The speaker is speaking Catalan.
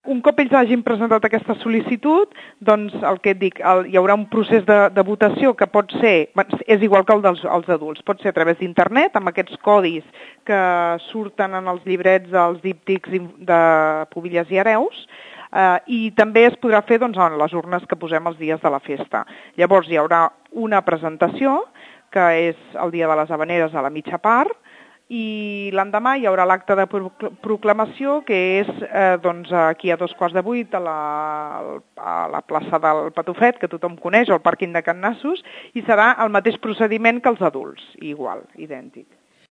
Un cop ells hagin presentat aquesta sol·licitud, doncs el que et dic, hi haurà un procés de votació que pot ser, és igual que el dels adults, pot ser a través d'internet, amb aquests codis que surten en els llibrets dels díptics de Pubilles i Hereus, i també es podrà fer doncs, en les urnes que posem els dies de la festa. Llavors hi haurà una presentació, que és el dia de les Havaneres a la mitja part, i l'endemà hi haurà l'acte de proclamació, que és doncs, aquí a 7:15 a la plaça del Patufet, que tothom coneix, al pàrquing de Can Nassos, i serà el mateix procediment que els adults, igual, idèntic.